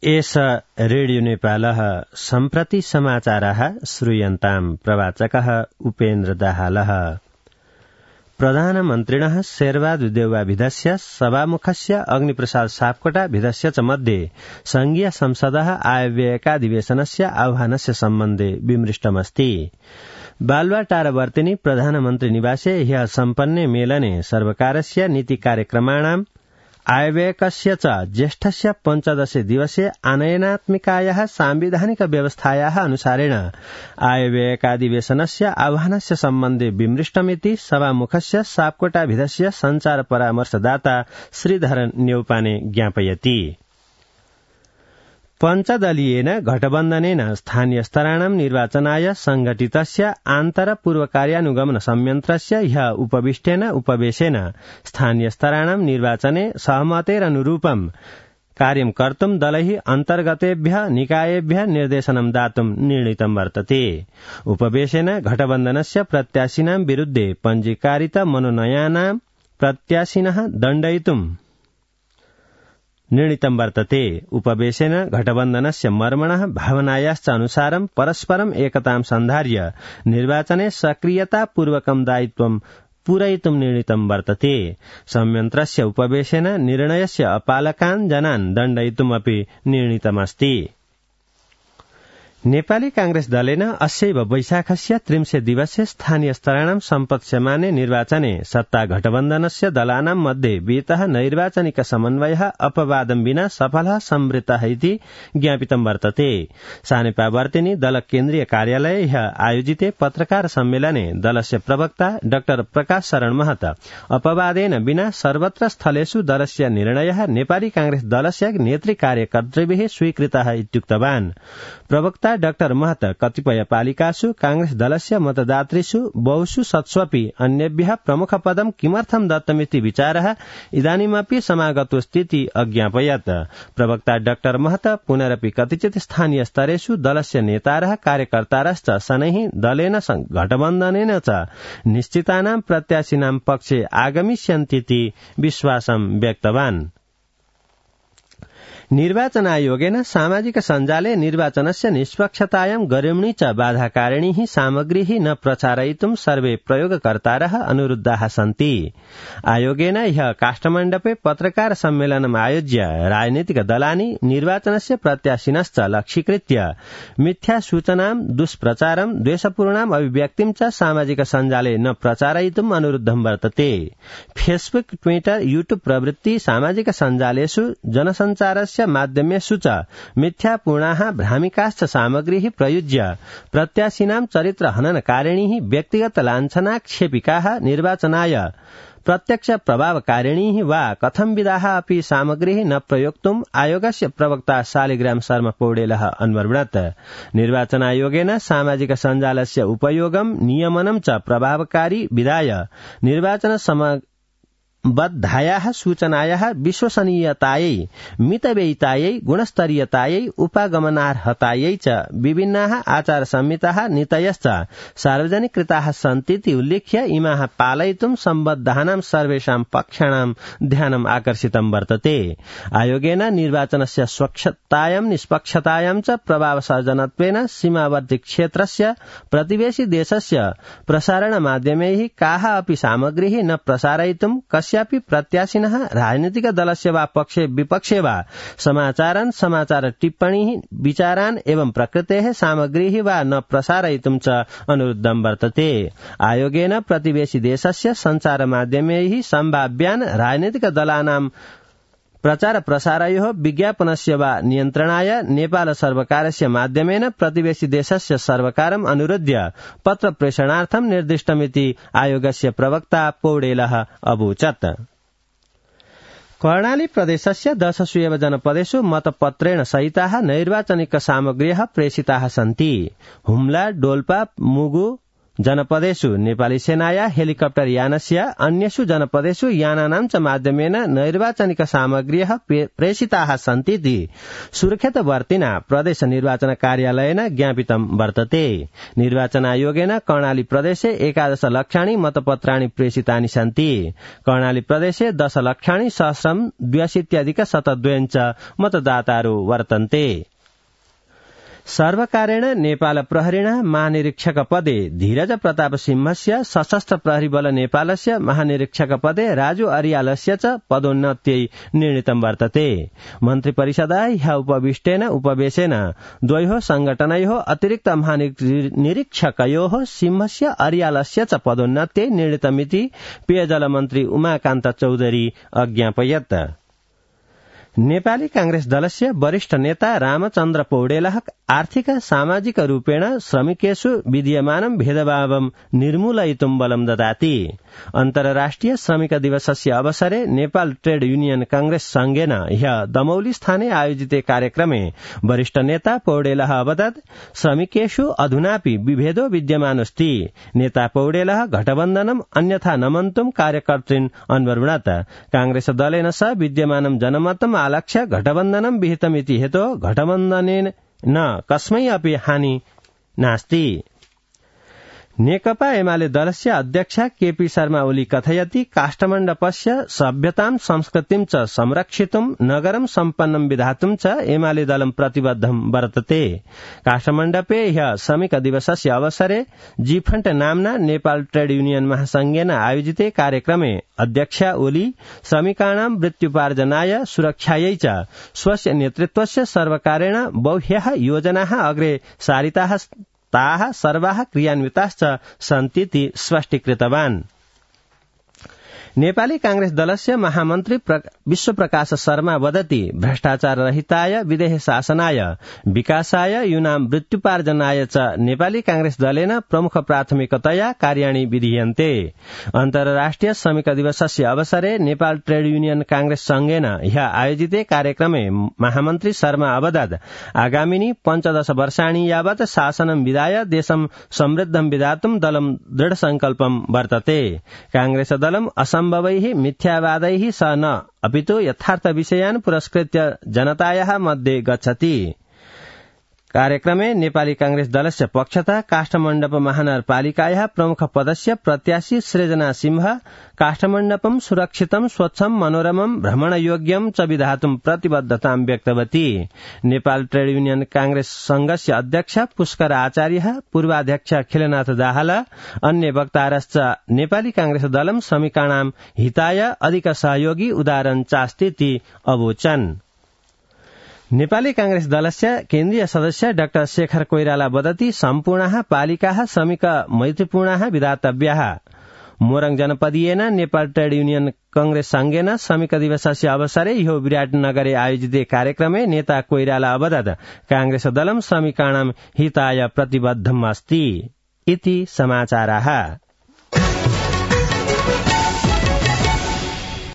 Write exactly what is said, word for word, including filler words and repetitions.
एष रेडियो नेपालः सम्प्रति समाचारः श्रूयन्ताम् प्रवाचकः उपेन्द्र दाहालः। प्रधानमन्त्रिणः शेरबहादुर देउवाभिधस्य सभामुखस्य अग्निप्रसाद सापकोटा भिधस्य च मध्ये संघीय संसदः आयव्ययकाधिवेशनस्य आह्वानस्य सम्बन्धे विमृष्टमस्ति। बालुवाटारवर्तिनि प्रधानमन्त्री निवासे ह्यः सम्पन्ने मेलने सर्वकारस्य नीति कार्यक्रमाणाम् आयव्ययकस्य च ज्येष्ठस्य पञ्चदशे दिवसे आनयनात्मिकायाः सांविधानिक व्यवस्थायाः अनुसारेण आयव्ययकाधिवेशनस्य आह्वानस्य सम्बन्धे विमृष्टमिति सभामुखस्य सापकोटाभिधस्य संचार परामर्शदाता श्रीधरन न्यौपाने ज्ञापयति। पञ्चदलीयेन घटबन्धनेन स्थानीय स्तराणां निर्वाचनाय संघटितस्य आन्तर पूर्व कार्यानुगमन संयन्त्रस्य ह्यः उपविष्टेन उपवेशेन स्थानीय स्तराणां निर्वाचने सहमतेरनुरूपं कार्यं कर्तुं दलैः अन्तर्गतेभ्यः निकायेभ्यः निर्देशनं दातुं निर्णीतं वर्तते। उपवेशेन घटबन्धनस्य प्रत्याशिनां विरुद्धे पञ्जीकारित मनोनयनानां प्रत्याशिनः दण्डयितुं निर्णीतं वर्तते। उपवेशेन घटबन्धनस्य मर्मणः भावनायाश्च अनुसारं परस्परम् एकतां सन्धार्य निर्वाचने सक्रियतापूर्वकं दायित्वं पूरयितुं निर्णीतं वर्तते। संयन्त्रस्य उपवेशेन निर्णयस्य अपालकान् जनान् दण्डयितुमपि निर्णीतमस्ति। नेपाली कांग्रेस दलेन अस्यैव वैशाखस्य त्रिंशे दिवसे स्थानीय स्तराणां सम्पत्स्यमाने निर्वाचने सत्ता घटबन्धनस्य दलानां मध्ये वितः नैर्वाचनिक समन्वयः अपवादं विना सफलः संवृत्तः इति ज्ञापितं वर्तते। सानेपावर्तिनि दल केन्द्रीय कार्यालये ह्यः आयोजिते पत्रकार सम्मेलने दलस्य प्रवक्ता डाक्टर प्रकाश शरण महत अपवादेन विना सर्वत्र स्थलेषु दलस्य निर्णयः नेपाली कांग्रेस दलस्य नेतृ कार्यकर्तृभिः स्वीकृतः इत्युक्तवान्। प्रवक्ता डाक्टर महत कतिपय पालिकासु कांग्रेस दलस्य मतदातृषु बहुषु सत्स्वपि अन्येभ्यः प्रमुख पदं किमर्थं दत्तमिति विचारः इदानीमपि समागतो स्थिति अज्ञापयत्। प्रवक्ता डाक्टर महत पुनरपि कतिचित् स्थानीय स्तरेषु दलस्य नेतारः कार्यकर्तारश्च शनैः दलेन घटबन्धनेन च निश्चितानां प्रत्याशिनां पक्षे आगमिष्यन्तीति विश्वासं व्यक्तवान्। निर्वाचन आयोगेन सामाजिक सञ्जाले निर्वाचनस्य निष्पक्षतायां गरिम्णी च बाधाकारिणी सामग्री न प्रचारयितुं सर्वे प्रयोगकर्तारः अनुरुद्धाः सन्ति। आयोगेन ह्यः काष्ठमण्डपे पत्रकार सम्मेलनम् आयोज्य राजनीतिक दलानि निर्वाचनस्य प्रत्याशिनश्च लक्ष्यीकृत्य मिथ्या सूचनां दुष्प्रचारं द्वेषपूर्णाम् अभिव्यक्तिं च सामाजिक सञ्जाले न प्रचारयितुम् अनुरुद्धं वर्तते। फेसबुक, ट्विटर, यूट्यूब प्रभृति सामाजिक सञ्जालेषु जनसञ्चारस्य माध्यमेषु च मिथ्यापूर्णाः भ्रामिकाश्च सामग्रीः प्रयुज्य प्रत्याशिनां चरित्र हननकारिणीः व्यक्तिगत लाञ्छनाक्षेपिकाः निर्वाचनाय प्रत्यक्ष प्रभावकारिणीः वा कथंविधाः अपि सामग्रीः न प्रयोक्तुम् आयोगस्य प्रवक्ता शालिग्राम शर्मा पौडेलः अन्वर्णत्। निर्वाचन आयोगेन सामाजिक सञ्जालस्य उपयोगं नियमनं च प्रभावकारी विधाय निर्वाचन सम बद्धायाः सूचनायाः विश्वसनीयतायै, मितव्ययितायै, गुणस्तरीयतायै, उपागमनार्हतायै च विभिन्नाः आचार संहिताः नीतयश्च सार्वजनिकृताः सन्तीति उल्लिख्य इमाः पालयितुं सम्बद्धानां सर्वेषां पक्षाणां ध्यानम् आकर्षितं वर्तते। आयोगेन निर्वाचनस्य स्वच्छतायां, निष्पक्षतायां च प्रभावसर्जनत्वेन सीमावर्ती क्षेत्रस्य प्रतिवेशी देशस्य प्रसारण माध्यमैः काः अपि सामग्रीः न प्रसारयितुं कस्यापि प्रत्याशिनः राजनीतिक दलस्य वा पक्षे विपक्षे वा समाचारान्, समाचार टिप्पणीः, विचारान् एवं प्रकृतेः सामग्रीः वा न प्रसारयितुं च अनुरुद्धं वर्तते। आयोगेन प्रतिवेशी देशस्य संचार माध्यमैः सम्भाव्यान् राजनीतिक दलानां प्रचार प्रसारयोः विज्ञापनस्य वा नियन्त्रणाय नेपाल सर्वकारस्य माध्यमेन प्रतिवेशी देशस्य सर्वकारम् अनुरोध्य पत्र प्रेषणार्थं निर्दिष्टमिति आयोगस्य प्रवक्ता पौडेलः अवोचत्। कर्णाली प्रदेशस्य दशसु एव जनपदेषु मतपत्रेण सहिताः नैर्वाचनिक सामग्र्यः प्रेषिताः सन्ति। हुम्ला, डोल्पा, मुगु, जनपदेषु नेपाली सेनाया हेलिकप्टर यानस्य अन्येषु जनपदेषु यानानां च माध्यमेन नैर्वाचनिक सामग्र्यः प्रेषिताः सन्तीति सुरक्षितवर्तिना प्रदेश निर्वाचन कार्यालयेन ज्ञापितं वर्तते। निर्वाचन आयोगेन कर्णाली प्रदेशे एकादश लक्षाणि मतपत्राणि प्रेषितानि सन्ति। कर्णाली प्रदेशे दश लक्षाणि सहस्रं द्व्यशीत्यधिक शतद्वयञ्च मतदातारु वर्तन्ते। सर्वकारेण नेपाल प्रहरीणा महानिरीक्षक पदे धीरज प्रताप सिंहस्य सशस्त्र प्रहरी बल नेपालस्य महानिरीक्षक पदे राजु अरियालस्य च पदोन्नत्यै निर्णीतं वर्तते। मन्त्री परिषदा ह्य उपविष्टेन उपवेशेन द्वयोः संघटनयोः अतिरिक्त महानिरीक्षकयोः सिंहस्य अरियालस्य च पदोन्नत्यै निर्णीतमिति पेयजल मन्त्री उमाकान्त चौधरी अज्ञापयत्। नेपाली कांग्रेस दलस्य वरिष्ठ नेता रामचन्द्र पौडेलः आर्थिक सामाजिक रूपेण श्रमिकेषु विद्यमानं भेदभावं निर्मूलयितुं बलं ददाति। अन्तर्राष्ट्रिय श्रमिक दिवसस्य अवसरे नेपाल ट्रेड यूनियन कांग्रेस संघेन ह्य दमौली स्थाने आयोजिते कार्यक्रमे वरिष्ठ नेता पौडेलः अवदत् श्रमिकेषु अधुनापि विभेदो विद्यमानोऽस्ति। नेता पौडेलः घटबन्धनम् अन्यथा नमन्तुं कार्यकर्तॄन् अन्वरुणत्। कांग्रेस दलेन सह विद्यमानं जनमतम् आलक्ष्य घटबन्धनं विहितमिति हेतो घटबन्धनेन न कस्मै अपि हानि नास्ति। नेकपा एमाले दलस्य अध्यक्ष केपी शर्मा ओली कथयति काष्ठमण्डपस्य सभ्यतां संस्कृतिं च संरक्षितुं नगरं सम्पन्नं विधातुं च एमाले दलं प्रतिबद्धं वर्तते। काष्ठमण्डपे ह्य श्रमिक दिवसस्य अवसरे जीफण्ट नाम्ना नेपाल ट्रेड यूनियन महासंघेन आयोजिते कार्यक्रमे अध्यक्ष ओली श्रमिकाणां वृत्त्युपार्जनाय सुरक्षायै च स्वस्य नेतृत्वस्य सर्वकारेण बह्व्यः योजनाः अग्रे सारिताः ताः सर्वाः क्रियान्विताश्च सन्तीति स्पष्टीकृतवान्। नेपाली कांग्रेस दलस्य महामन्त्री विश्वप्रकाश शर्मा वदति भ्रष्टाचार रहिताय विदेह शासनाय विकासाय यूनां वृत्त्युपार्जनाय च नेपाली कांग्रेस दलेन प्रमुख प्राथमिकतया कार्याणि विधीयन्ते। अन्तर्राष्ट्रिय श्रमिक दिवसस्य अवसरे नेपाल ट्रेड यूनियन कांग्रेस संघेन ह्य आयोजिते कार्यक्रमे महामन्त्री शर्मा अवदत् आगामिनी पञ्चदश वर्षाणि यावत् शासनं विधाय देशं समृद्धं विधातुं दलं दृढ संकल्पं वर्तते। कांग्रेस दलं असम्भवैः मिथ्यावादैः स न अपितु यथार्थ विषयान् पुरस्कृत्य जनतायाः मध्ये गच्छति। कार्यक्रमे नेपाली कांग्रेस दलस्य पक्षतः काष्ठमण्डप महानगरपालिकायाः प्रमुख पदस्य प्रत्याशी सृजना सिंह काष्ठमण्डपं सुरक्षितं स्वच्छं मनोरमं भ्रमणयोग्यं च विधातुं प्रतिबद्धतां व्यक्तवती। नेपाल ट्रेड यूनियन कांग्रेस संघस्य अध्यक्ष पुष्कर आचार्य पूर्वाध्यक्ष खिलनाथ दाहाल अन्य वक्तारश्च नेपाली कांग्रेस दलं श्रमिकाणां हिताय अधिक सहयोगी उदाहरण चास्तीति अवोचन्। नेपाली कांग्रेस दलस्य केन्द्रीय सदस्य डाक्टर शेखर कोइराला वदति सम्पूर्णाः पालिकाः श्रमिक मैत्रीपूर्णाः विधातव्याः। मोरङ जनपदीयेन नेपाल ट्रेड यूनियन कांग्रेस संघेन श्रमिक दिवसस्य अवसरे ह्यो विराटनगरे आयोजिते कार्यक्रमे नेता कोइराला अवदत् कांग्रेस दलं श्रमिकाणां हिताय प्रतिबद्धम् अस्ति इति समाचाराः।